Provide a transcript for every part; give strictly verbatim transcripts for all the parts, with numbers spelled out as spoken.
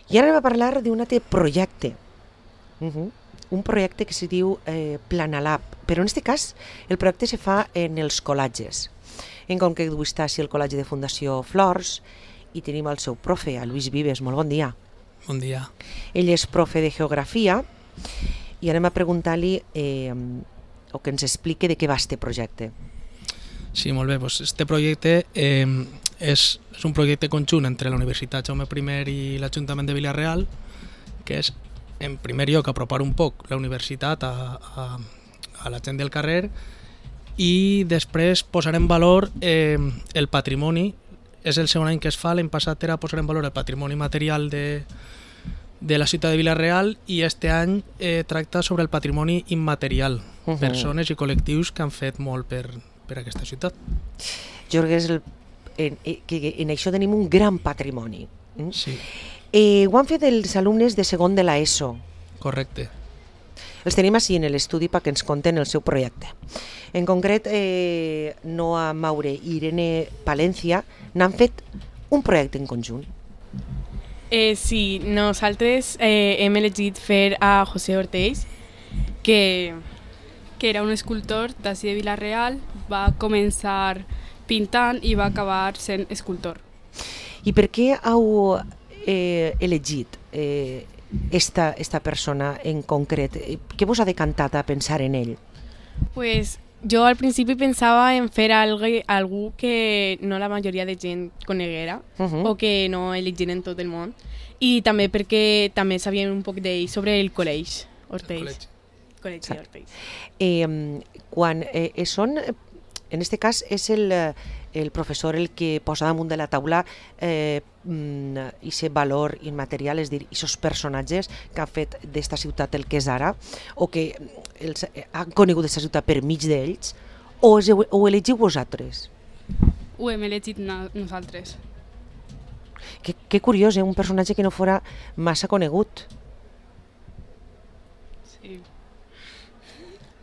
I ara anem a parlar d'un altre projecte. Uh -huh. Un projecte que se diu eh, Planalab, però en aquest cas el projecte se fa en els col·legis. En concret avui està així el col·legi de Fundació Flors i tenim el seu profe, a Luis Vives. Molt bon dia. Bon dia. Ell és profe de Geografia i anem a preguntar-li eh, o que ens expliqui de què va este projecte. Sí, molt bé. Pues este projecte eh, és, és un projecte conjunt entre la Universitat Jaume I i l'Ajuntament de Vila-real, que és, en primer lloc, apropar un poc la universitat a, a, a la gent del carrer i després posar en valor eh, el patrimoni. És el segon any que es fa, l'any passat era posar en valor el patrimoni material de, de la ciutat de Vila-real i este any eh, tracta sobre el patrimoni immaterial, uh-huh. persones i col·lectius que han fet molt per, per aquesta ciutat. Jo crec que, és el, en, que en això tenim un gran patrimoni. Mm? Sí. Eh, ho han fet els alumnes de segon de l'ESO. Correcte. Els tenim així en l'estudi perquè ens conten el seu projecte. En concret, eh, Noa Maure i Irene Palencia n'han fet un projecte en conjunt. Eh, sí, nosaltres eh, hem elegit fer a José Ortells, que, que era un escultor d'ací de Vila-real, va començar pintant i va acabar sent escultor. I per què heu eh, elegit eh, esta, esta persona en concret? Què vos ha decantat a pensar en ell? Pues jo al principi pensava en fer algo, algú que no la majoria de gent coneguera uh-huh. o que no elegiren tot el món, i també perquè també sabien un poc d'ell sobre el col·legi Ortells. El col·legi Ortells. Eh, quan eh, són, en aquest cas és el, el professor el que posa damunt de la taula eh, i ese valor immaterial, és a dir, aquests personatges que han fet d'esta ciutat el que és ara, o que els, han conegut aquesta ciutat per mig d'ells, o ho elegiu vosaltres? Ho hem elegit no, nosaltres. Que, que curiós, eh? Un personatge que no fora massa conegut. Sí.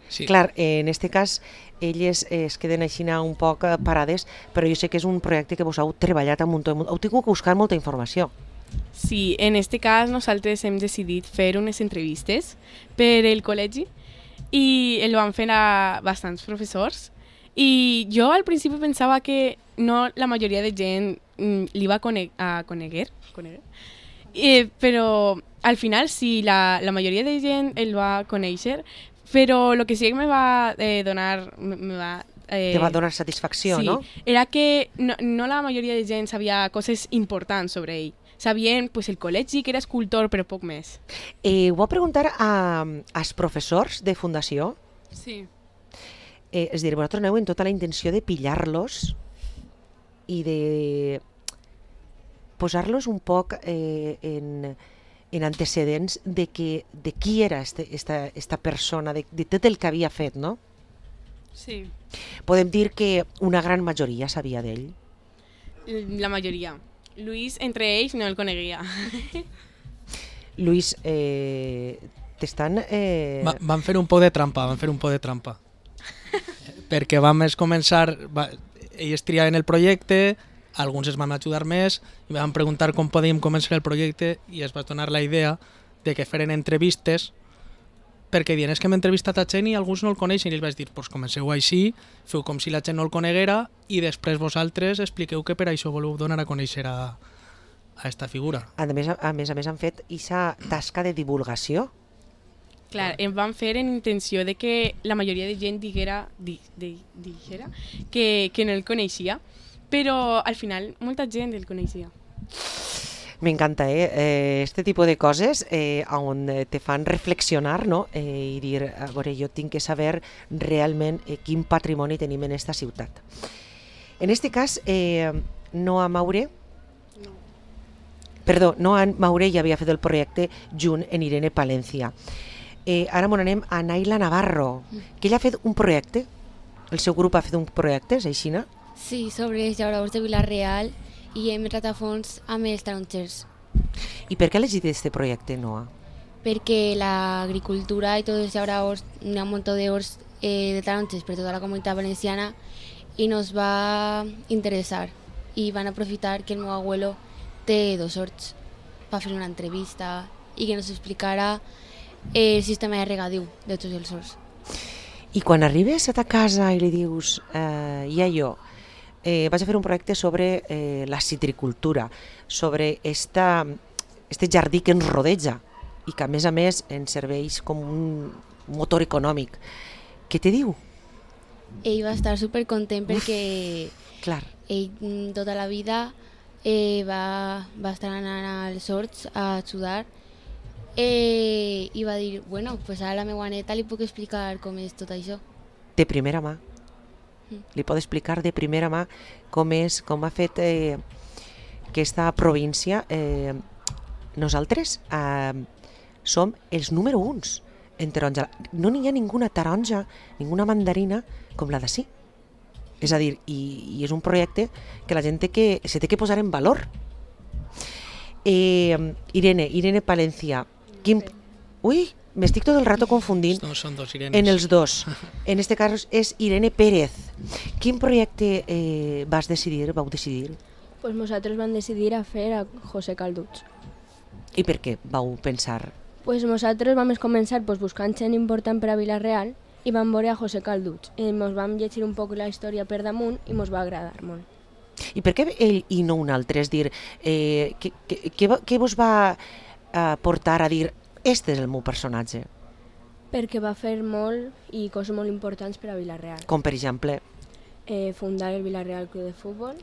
Sí. Clar, en aquest cas elles es queden així un poc parades, però jo sé que és un projecte que vos heu treballat un munt, heu tingut que buscar molta informació. Sí, en aquest cas nosaltres hem decidit fer unes entrevistes per el col·legi i el van fer a bastants professors, i jo al principi pensava que no la majoria de gent li va cone a coneguer, coneguer. Eh, però al final sí, la, la majoria de gent el va conèixer, però el que sí que me va eh, donar... Me va, eh, Te va donar satisfacció, sí, no? Era que no, no la majoria de gent sabia coses importants sobre ell. Sabien pues, el col·legi, que era escultor, però poc més. Eh, ho va preguntar a, als professors de Fundació? Sí. Eh, és a dir, vosaltres aneu en tota la intenció de pillar-los i de posar-los un poc eh, en... en antecedents de, que, de qui era este, esta, esta persona, de, de tot el que havia fet, no? Sí. Podem dir que una gran majoria sabia d'ell? La majoria. Luis, entre ells, no el coneguia. Luis, eh, t'estan... Eh... Va, van fer un poc de trampa, van fer un poc de trampa. Perquè vam començar... Va, ells triaven el projecte, alguns es van ajudar més i vam preguntar com podíem començar el projecte i es va donar la idea de que feren entrevistes, perquè dient és que hem entrevistat a gent i alguns no el coneixen, i els vaig dir, pues comenceu així, feu com si la gent no el coneguera i després vosaltres expliqueu que per això voleu donar a conèixer a, a esta figura. A més, a més a més han fet aquesta tasca de divulgació. Clar, em van fer en intenció de que la majoria de gent diguera, di, di, diguera que, que no el coneixia, però al final molta gent el coneixia. M'encanta, eh? Este tipus de coses eh, on te fan reflexionar, no? Eh, i dir, a veure, jo tinc que saber realment eh, quin patrimoni tenim en esta ciutat. En este cas, eh, Noa Maure, No. perdó, Noa Maure ja havia fet el projecte junt en Irene Palencia. Eh, ara m'on anem a Naila Navarro, que ella ha fet un projecte, el seu grup ha fet un projecte, és així, no? Sí, sobre els llauradors de Vila-real i hem entrat a fons amb els tarongers. I per què ha elegit aquest projecte, Noa? Perquè l'agricultura i tots els llauradors, hi ha un munt d'horts eh, de tarongers per tota la comunitat valenciana i nos va interessar i van aprofitar que el meu abuelo té dos horts va fer una entrevista i que ens explicara el sistema de regadiu de tots els horts. I quan arribes a ta casa i li dius, eh, ja jo, eh, vaig a fer un projecte sobre eh, la citricultura, sobre esta, este jardí que ens rodeja i que a més a més ens serveix com un motor econòmic. Què te diu? Ell va estar supercontent perquè Clar. ell tota la vida eh, va, va estar anant als horts a ajudar eh, i va dir, bueno, pues a la meva neta li puc explicar com és tot això. De primera mà. Mm. Li pot explicar de primera mà com és, com ha fet eh, aquesta província. Eh, nosaltres eh, som els número uns en taronja. No n'hi ha ninguna taronja, ninguna mandarina com la d'ací. És a dir, i, i és un projecte que la gent té que, se té que posar en valor. Eh, Irene, Irene Palencia. Quin... Ui, m'estic tot el rato confundint No, són dos Irenes. en els dos. En este cas és Irene Pérez. Quin projecte eh, vas decidir, vau decidir? Pues nosaltres vam decidir a fer a José Calduts. I per què vau pensar? Pues nosaltres vam començar pues, buscant gent important per a Vila-real i vam veure a José Calduts. I mos vam llegir un poc la història per damunt i mos va agradar molt. I per què ell i no un altre? És dir, eh, què, què, què, va- què vos va eh, portar a dir este és el meu personatge? Perquè va fer molt i coses molt importants per a Vila-real. Com per exemple, Eh, fundar el Vila-real Club de Futbol.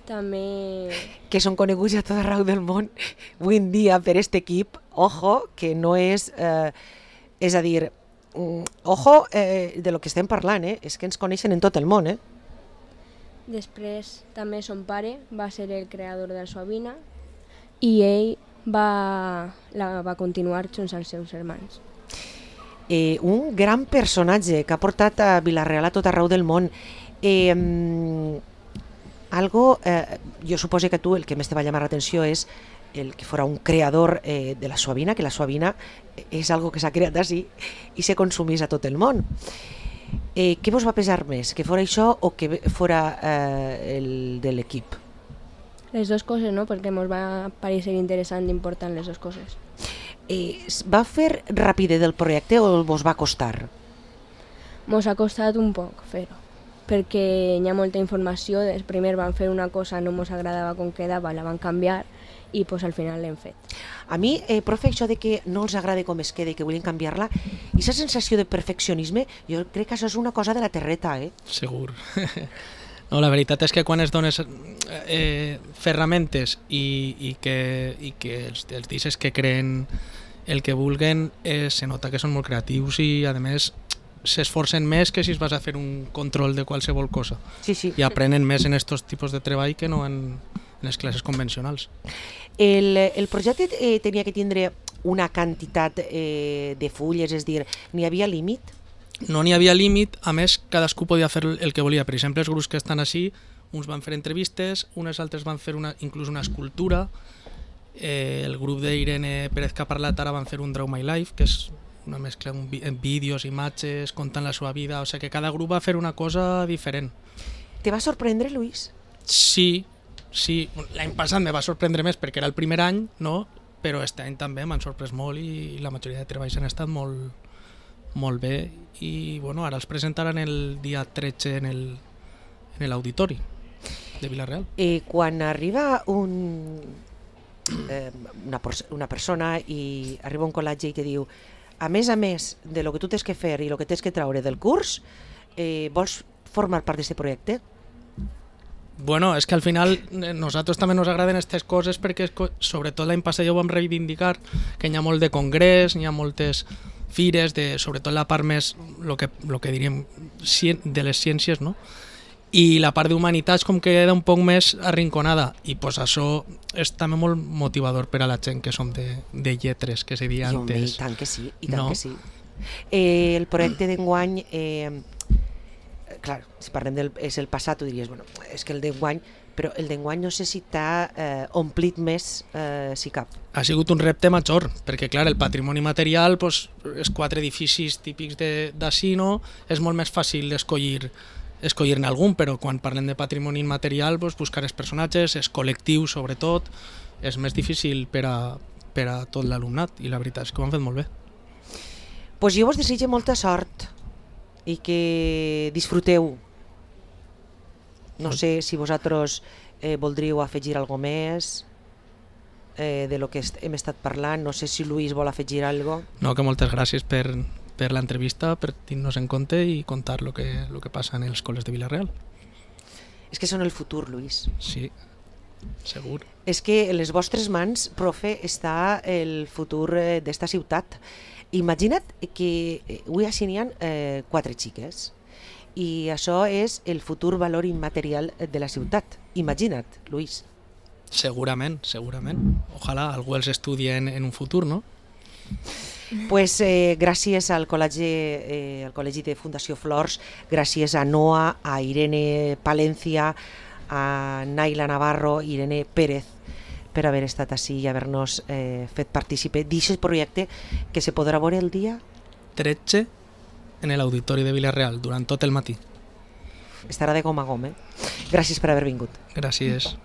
També... que són coneguts a tot arreu del món avui en dia per este equip, ojo, que no és... Eh, és a dir, mm, ojo eh, de lo que estem parlant, eh? És que ens coneixen en tot el món, eh? Després també son pare va ser el creador de la Suavina i ell va, la va continuar junts als seus germans. Eh, un gran personatge que ha portat a Vila-real a tot arreu del món. Eh, mm, algo, eh, jo suposo que tu el que més te va llamar l'atenció és el que fora un creador eh, de la Suavina, que la Suavina és algo que s'ha creat així i se consumís a tot el món. Eh, què vos va pesar més, que fora això o que fora eh, el de l'equip? Les dues coses, no? Perquè ens va parecer interessant i important les dues coses. Eh, es va fer ràpide del projecte o vos va costar? Ens ha costat un poc fer-ho, perquè hi ha molta informació. Primer van fer una cosa, no ens agradava com quedava, la van canviar i pues, al final l'hem fet. A mi, eh, profe, això de que no els agrada com es queda i que volen canviar-la, i aquesta sensació de perfeccionisme, jo crec que això és una cosa de la terreta, eh? Segur. No, la veritat és que quan es dones eh, ferramentes i, i que, i que els, els deixes que creen el que vulguen, eh, se nota que són molt creatius i, a més, s'esforcen més que si es vas a fer un control de qualsevol cosa. Sí, sí. I aprenen més en aquests tipus de treball que no en, en les classes convencionals. El, el projecte eh, tenia que tindre una quantitat eh, de fulles, és dir, n'hi havia límit? No n'hi havia límit, a més, cadascú podia fer el que volia. Per exemple, els grups que estan així, uns van fer entrevistes, unes altres van fer una, inclús una escultura, eh, el grup d'Irene Pérez que ha parlat ara van fer un Draw My Life, que és una mescla en vídeos, imatges, contant la seva vida, o sigui que cada grup va fer una cosa diferent. Te va sorprendre, Luis? Sí, sí, l'any passat me va sorprendre més perquè era el primer any, no? Però aquest any també m'han sorprès molt i la majoria de treballs han estat molt, molt bé i bueno, ara els presentaran el dia tretze en el en l'auditori de Vila-real. Eh, quan arriba un, eh, una, una persona i arriba a un col·legi i te diu a més a més de lo que tu tens que fer i lo que tens que traure del curs, eh, vols formar part d'aquest projecte? Bueno, és que al final nosaltres també ens agraden aquestes coses perquè sobretot l'any passat ja ho vam reivindicar, que hi ha molt de congrés, hi ha moltes fires, de, sobretot la part més, lo que, lo que diríem, de les ciències, no? I la part d'humanitats com que queda un poc més arrinconada i pues això és també molt motivador per a la gent que som de, de lletres, que se deia I, antes. I tant que sí, i tant no? que sí. Eh, el projecte d'enguany, eh, clar, si parlem del és el passat, tu diries, bueno, és que el d'enguany, però el d'enguany no sé si t'ha eh, omplit més, eh, si cap. Ha sigut un repte major, perquè clar, el patrimoni material, pues, els quatre edificis típics d'ací, no? És molt més fàcil escollir escollir-ne algun, però quan parlem de patrimoni immaterial, pues, buscar els personatges, els col·lectius sobretot, és més difícil per a, per a tot l'alumnat, i la veritat és que ho han fet molt bé. Pues jo vos desitjo molta sort i que disfruteu. No sé si vosaltres eh, voldríeu afegir alguna més eh, de lo que est hem estat parlant. No sé si Luis vol afegir alguna cosa. No, que moltes gràcies per, per l'entrevista, per tenir-nos en compte i contar el que, lo que passa en els col·les de Vila-real. És que són el futur, Luis. Sí, segur. És que en les vostres mans, profe, està el futur eh, d'esta ciutat. Imagina't que eh, avui així n'hi ha eh, quatre xiques i això és el futur valor immaterial de la ciutat. Imagina't, Luis. Segurament, segurament. Ojalà algú els estudi en, en un futur, no? Pues eh, gràcies al col·legi, eh, al col·legi de Fundació Flors, gràcies a Noa, a Irene Palencia, a Naila Navarro, Irene Pérez, per haver estat així i haver-nos eh, fet partícipe d'aquest projecte que se podrà veure el dia tretze en l'auditori de Vila-real durant tot el matí. Estarà de gom a gom, eh? Gràcies per haver vingut. Gràcies.